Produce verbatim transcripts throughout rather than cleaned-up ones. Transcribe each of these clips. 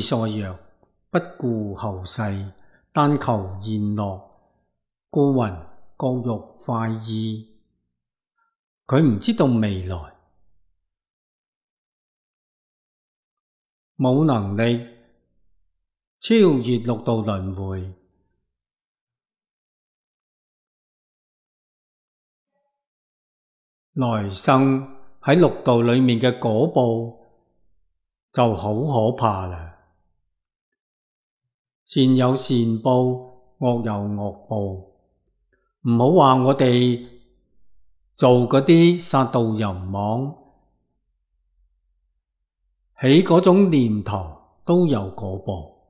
所曰：不顧後世，但求現樂，故云各欲快意。佢唔知道未來，冇能力超越六道輪迴，來生喺六道裏面嘅果報就好可怕啦。善有善報，惡有惡報。唔好話我哋做嗰啲殺盜淫妄，起嗰種念頭都有果報。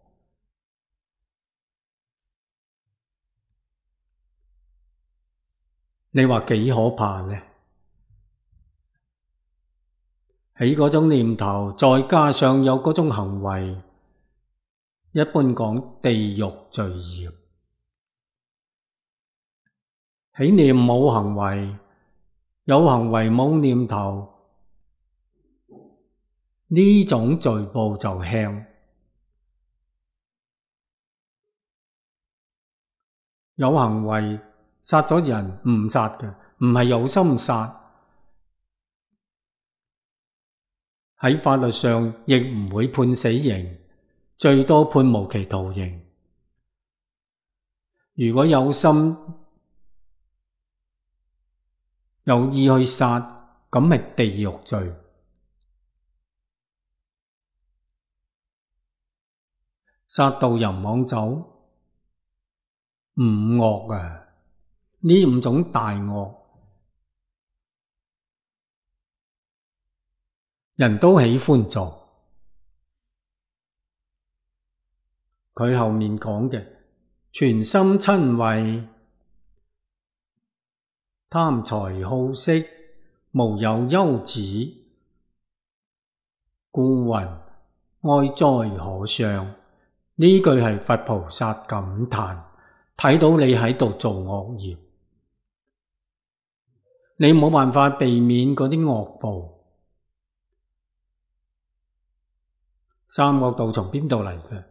你話幾可怕呢？起嗰種念頭，再加上有嗰種行為，一般講地獄罪業。起念冇行為，有行為冇念頭，呢種罪報就輕。有行為殺咗人唔殺嘅，唔係有心殺，喺法律上亦唔會判死刑，最多判無期徒刑。如果有心有意去殺，咁係地獄罪。殺盜淫妄酒，五惡啊！呢五種大惡，人都喜歡做。佢後面講嘅，全心瞋恚，貪財好色，無有休止，故云哀哉可傷。呢句係佛菩薩感嘆，睇到你喺度做惡業，你冇辦法避免嗰啲惡報。三惡道從邊度嚟嘅？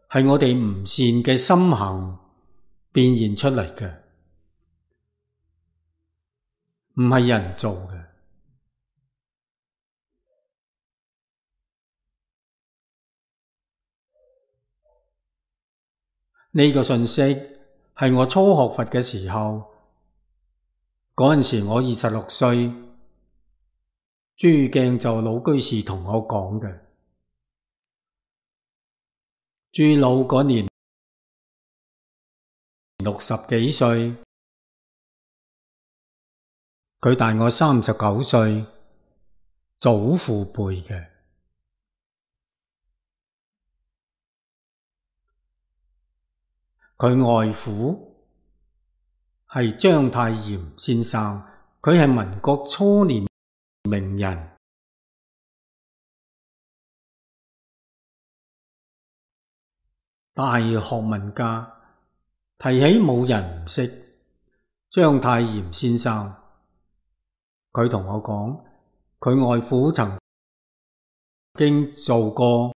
係我哋唔善嘅心行變現出嚟嘅，唔係人做嘅。呢個信息係我初學佛嘅時候，嗰陣時我二十六歲，朱鏡就老居士同我講嘅。朱老嗰年六十幾歲，佢大我三十九歲，祖父輩嘅。佢外父係章太炎先生，佢係民國初年名人，大學問家。提起冇人唔識章太炎先生，佢同我講，佢外父曾經做過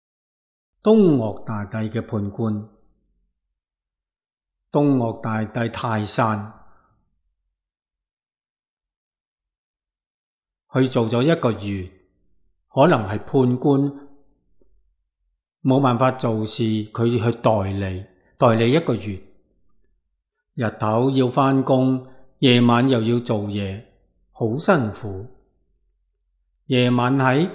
東岳大帝嘅判官。東岳大帝泰山去做咗一個月，可能係判官冇辦法做事，佢去代理，代理一個月，日頭要返工，夜晚又要做嘢，好辛苦。夜晚喺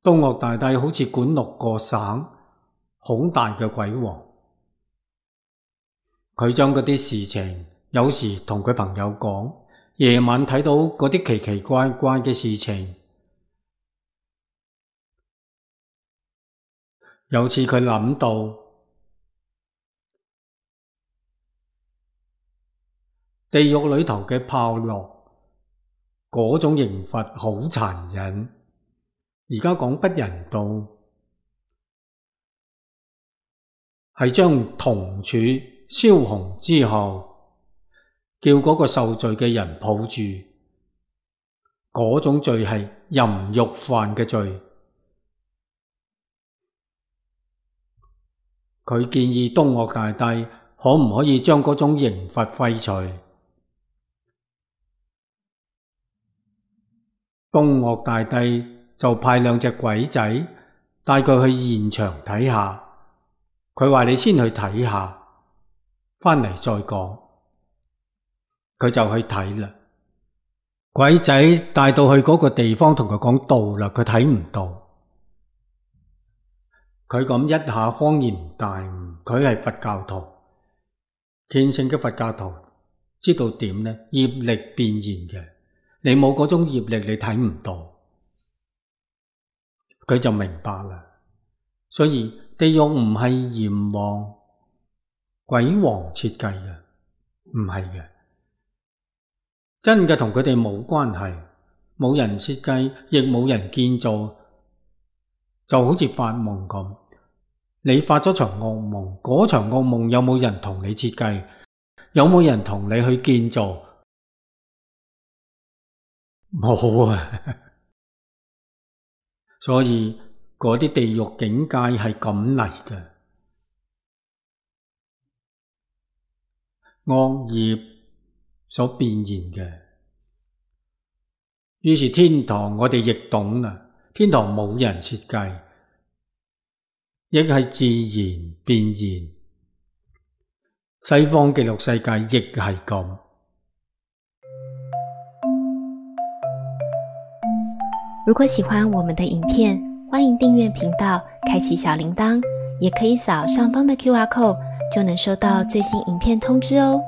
東岳大帝好似管六個省，好大嘅鬼王。佢將嗰啲事情，有時同佢朋友講，夜晚睇到嗰啲奇奇怪怪嘅事情。有次佢諗到地獄裏頭嘅炮烙，嗰種刑罰好殘忍，而家講不人道，係將銅柱燒紅之後，叫嗰個受罪嘅人抱住，嗰種罪係淫欲犯嘅罪。佢建議東嶽大帝可唔可以將嗰種刑罰廢除。東嶽大帝就派兩隻鬼仔帶佢去現場睇下，佢話你先去睇下，返嚟再講。佢就去睇啦。鬼仔帶到去嗰個地方同佢講道啦，佢睇唔到。佢咁一下恍然大悟，佢係佛教徒，虔誠嘅佛教徒，知道點呢？業力變現嘅，你冇嗰種業力，你睇唔到。佢就明白啦。所以地獄唔係閻王、鬼王設計嘅，唔係嘅。真嘅同佢哋冇關係，冇人設計，亦冇人建造，就好似發夢咁。你發咗場惡夢，嗰場惡夢有冇人同你設計？有冇人同你去建造？冇啊！所以嗰啲地獄境界係咁嚟嘅，惡業所變現嘅。於是天堂我哋亦懂啦，天堂冇人設計，亦係自然變現。西方極樂世界亦係咁。如果喜歡我們的影片，歡迎訂閱頻道，開啟小鈴鐺，也可以掃上方的 Q R code，就能收到最新影片通知哦。